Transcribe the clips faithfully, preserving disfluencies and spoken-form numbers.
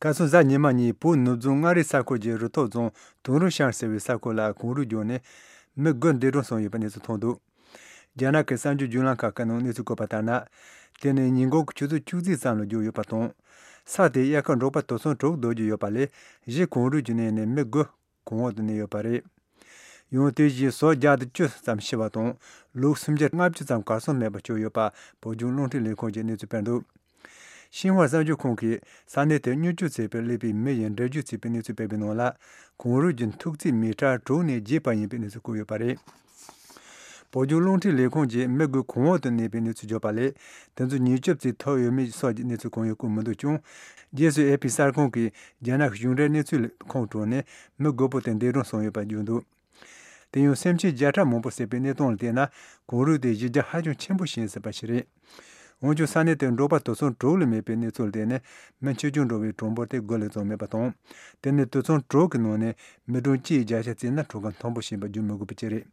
ཁ་སང་གཟའ་ཉི་མ་ཉིན་བོད་ནུབ་བྱང་མངའ་རིས་ས་ཁུལ་གྱི་རུ་ཐོག་རྫོང་ཏུང་རུ་ཤང་ཟེར་བའི་ས་ཁུལ་ལ་གངས་རུད་རྒྱུག་ནས་མི་དགུ་འདས་གྲོངས་སོང་ཡོད་པའི་གནས་ཚུལ་ཐོན་འདུག། རྒྱ་ནག་གི་གསར་འགྱུར་བརྒྱུད་ལམ་ཁག་ཁག་ནང་གནས་ཚུལ་བཀོད་པ་ལྟར་ན། དེ་ནི་ཉིན་གུང་གི་ཆུ་ཚོད་བཅུ་གཅིག་ཙམ་ལ་རྒྱུག་ཡོད་པ་དང་། ས་དེའི་དབྱར་ཁ་འབྲོག་པ་དུད་ཚང་དྲུག་སྡོད་ཀྱི་ཡོད་པ་ལས་གཞི་གངས་རུད་ཀྱི་གནས་ནས་མི་དགུ་གངས་འོག་ཏུ་གནས་ཡོད་པ་རེད། ཡང་དེ་བཞིན་ཟོག་བརྒྱ་དང་བཅུ་ཙམ་ཤི་བ་དང་ལུག་སུམ་བརྒྱ་ལྔ་བཅུ་ཙམ་གར་སོང་མེད་པར་གྱུར་ཡོད་པ་བོད་ལྗོངས་རླུང་འཕྲིན་ལས་ཁུངས་ཀྱིས་གནས་ཚུལ་སྤེལ་འདུག། ཤིན་ཧྭ་གསར་འགྱུར་ཁང་གིས་ས་གནས་དེར་མྱུར་སྐྱོབ་བྱེད་པར་སླེབས་པའི་མི་ཡི་འགྲེལ་བརྗོད་བྱས་པའི་གནས་ཚུལ་སྤེལ་བའི་ནང་ལ། གངས་རུད་ཀྱི་མཐུག་ཚད་མི་ཊར་དྲུག་ནས་བརྒྱད་བར་ཡིན་པའི་གནས་ཚུལ་བཀོད་ཡོད་པ་རེད། བོད་ལྗོངས་རླུང་འཕྲིན་ལས་ཁུངས་ཀྱིས་མི་དགུ་གངས་འོག་ཏུ་གནས་པའི་གནས་ཚུལ་བརྗོད་པ་ལས། དེ་ཚོ་མྱུར་སྐྱོབ་བྱེད་ཐུབ་ཡོད་མེད་སོགས་ཀྱི་གནས་ཚུལ་གང་ཡང་བཀོད་མི་འདུག་ཀྱང་། རྗེས་སུ་ཨེ་ཕི་གསར་ཁང་གིས་རྒྱ་ནག་གཞུང་འབྲེལ་གནས་ཚུལ་ཁོངས་དྲངས་ནས་མི་དགུ་པོ་དེ་འདས་གྲོངས་སོང་ཡོད་པ་བརྗོད་འདུག། དེ་ཡང་སེམས་ཅན་བརྒྱ་ཕྲག་མང་པོ་བསད་པའི་གནས་སྟངས་ལ་བལྟས་ན། གངས་རུད་དེ་གཞི་རྒྱ་ཧ་ཅང་ཆེན་པོ་ཞིག་ཡིན་སྲིད་པ་ཞིག་རེད། འོན་ཀྱང་ས་གནས་དེར་འབྲོག་པ་དུད་ཚང་དྲུག་ལས་མེད་པའི་གནས་ཚུལ་ལ་བལྟས་ནས། མི་ཆེད་སྦྱོང་འགྲོ་བའི་གྲངས་འབོར་དེ་དགུ་ལས་ཙམ་མེད་པ་དང་། དེ་ནི་དུད་ཚང་དྲུག་གི་ནང་ནས་མི་གྲངས་གཅིག་བརྒྱ་ཆ་བརྩིས་ན་གྲངས་ཀ་མཐོན་པོ་ཞིག་ཡིན་པ་བརྗོད་མི་དགོས་པ་ཅིག་རེད།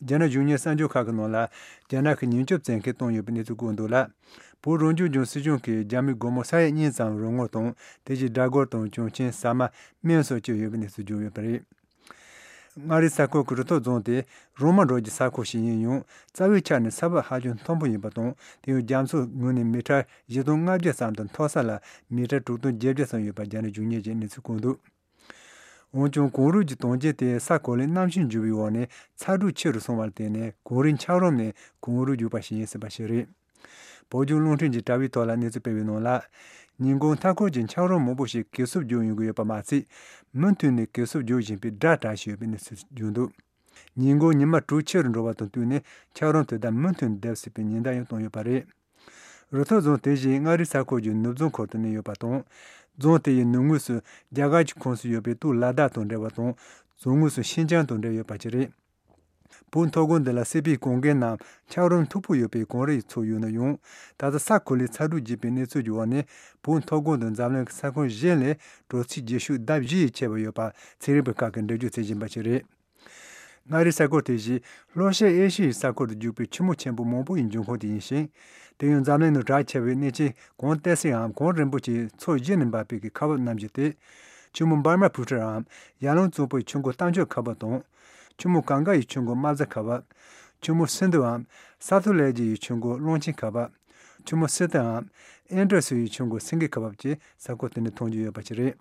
རྒྱ་ནག་གཞུང་གཉེར་གསར་འགྱུར་ཁག་གི་ནང་ལ། རྒྱ་ནག་གིས་ཉེན་སྐྱོབ་བཙན་ཁྲིད་བཏང་ཡོད་པའི་གནས་ཚུལ་བཀོད་འདུག་ལ། བོད་རང་སྐྱོང་ལྗོངས་སྲིད་གཞུང་གིས་རྒྱ་མི་སྒོར་མོ་ས་ཡ་གཉིས་ཙམ་རོགས་དངུལ་དང་། དེ་བཞིན་སྦྲ་གུར་དང་གྱོན་ཆས། ཟ་མ། སྨན་སོགས་བསྐྱོན་ཡོད་པའི་གནས་ཚུལ་བརྗོད་ཡོད་པ་རེད། མངའ་རིས་ས་ཁུལ་གྱི་རུ་ཐོག་རྫོང་དེ་རོང་མ་འབྲོག་གི་ས་ཁུལ་ཞིག་ཡིན་ཡང་། རྩ་བའི་ཆ་ནས་ས་བབ་ཧ་ཅང་མཐོན་པོ་ཡིན་པ་དང་། དེ་ཡང་རྒྱ་མཚོའི་ངོས་ནས་མི་ཊར་བཞི་སྟོང་ལྔ་བརྒྱ་ཙམ་དང་། མཐོ་ས་ལ་མི་ཊར་དྲུག་སྟོང་བརྒྱད་བརྒྱ་ཙམ་ཡོད་པ་རྒྱ་ནག་གཞུང་གཉེར་གྱིས་གནས་ཚུལ་བཀོད་འདུག། འོན་ཀྱང་། གངས་རུད་ཀྱི་དོན་རྐྱེན་དེ་ས་གོ་ལའི་གནམ་གཤིས་འགྱུར་བའི་འོག་ནས་ཚ་དྲོད་ཆེ་རུ་སོང་བར་བརྟེན་ནས། གངས་རིའི་འཁྱགས་རོམ་ནས་གངས་རུད་རྒྱུག་པ་ཞིག་ཡིན་སྲིད་པ་ཞིག་རེད། བོད་ལྗོངས་རླུང་འཕྲིན་གྱིས་དྲ་བའི་ཐོག་ལ་གནས་ཚུལ་སྤེལ་བའི་ནང་ལ། ཉིན་གུང་མཐའ་འཁོར་གྱི་འཁྱགས་རོམ་མང་པོ་ཞིག་གས་སྲུབས་རྒྱག་ཡོང་གི་ཡོད་པ་མ་ཚད། མུ་མཐུད་ནས་གས་སྲུབས་རྒྱག་བཞིན་པའི་སྒྲ་གྲགས་བཞིན་ཡོད་པའི་གནས་ཚུལ་བརྗོད་འདུག། ཉིན་གུང་ཉི་མ་དྲོད་ཆེ་རུ་འགྲོ་བ་དང་བསྟུན་ནས། འཁྱགས་རོམ་དེ་དག་མུ་མཐུད་ནས་རྡིབ་སྲིད་པའི་ཉེན་བརྡ་ཡང་བཏང་ཡོད་པ་རེད། རུ་ཐོག་རྫོང་དེ་བཞིན་མངའ་རིས་ས་ཁུལ་གྱི་ནུབ་རྫོང་ཁུལ་དུ་གནས་ཡོད་པ་དང་། རྫོང་དེ་ཡི་ནུབ་ངོས་སུ་རྒྱ་གར་གྱི་ཁོངས་སུ་ཡོད་པའི་སྟོད་ལ་དྭགས་དང་འབྲེལ་བ་དང་། བྱང་ངོས་སུ་ཤིན་ཅང་དང་འབྲེལ་ཡོད་པ་བཅས་རེད། བོད་མཐོ་སྒང་འདི་ལ་སྲིད་པའི་གངས་རྒན་ནམ་འཁྱགས་རོམ་མཐུག་པོ་ཡོད་པའི་གངས་རི་ཡི་ཚོགས་ཡོད་ན་ཡང་། ད་ལྟ་ས་གོ་ལའི་ཚ་དྲོད་རྒྱས་པའི་གནས་ཚུལ་གྱི་འོག་ནས། བོད་མཐོ་སྒང་དུ་འཛམ་གླིང་གི་ས་ཁོངས་གཞན་ལས་དྲོད་ཚད་ལྗིད་ཤུགས་ལྡབ་བཞི་ཡིས་ཆེ་བ་ཡོད་པ་ཚན་རིག་པ་ཁག་གིས་འགྲེལ་བརྗོད་བྱེད་བཞིན་པ་ཞིག་རེད། མངའ་རིས་ས་ཁུལ་དེ་བཞིན་ལྷོ་ཤར་ཨེ་ཤི་ཡའི་ས་ཁུལ་དུ་རྒྱུག་པའི་ཆུ་མོ་ཆེན་པོ་མང་པོ་ཡི་འབྱུང་ཁུངས་དེ་ཡིན་ཞིང་། དེ་ཡང་འཛམ་གླིང་ནང་གྲགས་ཆེ་བའི་གནས་ཆེན་གངས་ཏི་སེའམ་གངས་རིན་པོ་ཆེའི་མཚོ་བཞི་ནས་འབབ་པའི་ཁ་འབབ་རྣམ་བཞི་སྟེ། ཆུ་མོ་འབར་མ་བུ་ཁྲིར་འམ་ཡར་ཀླུང་གཙང་པོའི་ཆུ་མགོ་རྟ་མཆོག་ཁ་འབབ་དང་། ཆུ་མོ་གངྒཱ་ཡི་ཆུ་མགོ་རྨ་བྱ་ཁ་འབབ། ཆུ་མོ་སིན་དྷུའམ་ས་ཐུ་ལེ་ཇི་ཡི་ཆུ་མགོ་གླང་ཆེན་ཁ་འབབ། ཆུ་མོ་སི་ཏུའམ་ཨིན་ཌ་སི་ཡི་ཆུ་མགོ་སེང་གེ་ཁ་འབབ་བཅས་ས་ཁུལ་དེ་ནས་མཐོང་རྒྱུ་ཡོད་པ་ཞིག་རེད།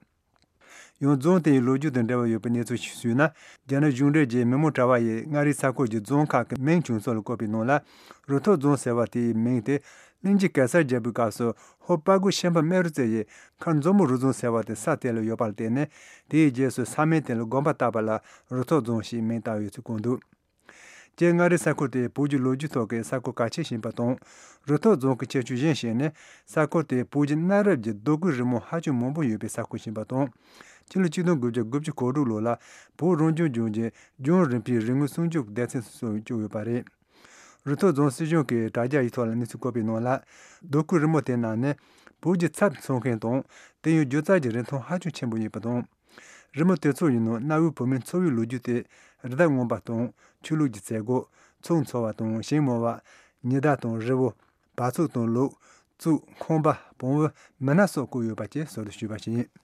ཡང་རྫོང་དེ་ཡི་ལོ་རྒྱུས་དང་འབྲེལ་བ་ཡོད་པའི་གནས་ཚུལ་ཞིག་ཞུས་ན། རྒྱ་ནག་གཞུང་འབྲེལ་གྱི་མི་མང་དྲ་བ་ཡིས་མངའ་རིས་ས་ཁུལ་གྱི་རྫོང་ཁག་གི་མིང་བྱུང་ཚུལ་ལ་བཀོད་པའི་ནང་ལ། རུ་ཐོག་རྫོང་ཟེར་བ་དེའི་མིང་དེ་གླིང་རྗེ་གེ་སར་རྒྱལ་པོའི་སྐབས་སུ་ཧོར་དཔའ་རྒོད་ཤན་པ་རྨེ་རུ་རྩེ་ཡིས་མཁར་མཛོ་མོ་རུ་རྫོང་ཟེར་བ་དེ་ས་དེ་ལ་ཡོད་པར་བརྟེན་ནས། དེའི་རྗེས་སུ་ས་མིང་དེ་ལ་དགོངས་པ་བཏགས་པ་ལ་རུ་ཐོག་རྫོང་ཞེས་མིང་བཏགས་ཡོད་ཚུལ་བཀོད་འདུག། སྤྱིར་མངའ་རིས་ས་ཁུལ་དེ་བོད་ཀྱི་ལོ་རྒྱུས་ཐོག་གི་ས་ཁུལ་གལ་ཆེ་ཞིག་ཡིན་པ་དང་། རུ་ཐོག་རྫོང་གི་ཁྱད་ཆོས་གཞན་ཞིག་ནི། ས་ཁུལ་དེ་བོད་ཀྱི་གནའ་རབས་ཀྱི་རྡོ་བརྐོས་རི་མོ་ཧ་ཅང་མང་པོ་ཡོད་པའི་ས་ཁུལ་ཞིག་ཡིན་པ་དང་། ཕྱི་ལོ་ཆིག་སྟོང་དགུ་བརྒྱ་དགུ་བཅུ་གོ་དྲུག་ལོ་ལ་བོད་རང་སྐྱོང་ལྗོངས་ཀྱི་ལྗོངས་རིམ་པའི་རིག་དངོས་སྲུང་སྐྱོབ་སྡེ་ཚན་སུ་བཙུགས་ཡོད་པ་རེད། རུ་ཐོག་རྫོང་སྲིད་གཞུང་གིས་དྲ་རྒྱ་ཡི་ཐོག་ལ་གནས་ཚུལ་བཀོད་པའི་ནང་ལ། རྡོ་བརྐོས་རི་མོ་དེ་རྣམས་ནི་བོད་ཀྱི་ཚབ་མཚོན་མཁན་དང་། དེ་ཡང་སྒྱུ་རྩལ་གྱི་རིན་ཐང་ཧ་ཅང་ཆེན་པོ་ཡིན་པ་དང་། རི་མོ་དེ་ཚོ་ཡི་ནང་གནའ་བོའི་བོད་མིའི་འཚོ་བའི་ལོ་རྒྱུས་ཏེ། རི་དྭགས་རྔོན་པ་དང་། ཆོས་ལུགས་ཀྱི་མཛད་སྒོ། ཚོགས་འཚོགས་པ་དང་ཞིང་རྨོ་བ། ཉི་ཟླ་དང་རི་བོ། བ་ཕྱུགས་དང་ལུག། གཙུག། ཁང་པ། བོང་བུ། མི་སྣ་སོགས་བཀོད་ཡོད་པ་བཅས་ཟུར་དུ་ཞུས་པ་ཞིག་ཡིན།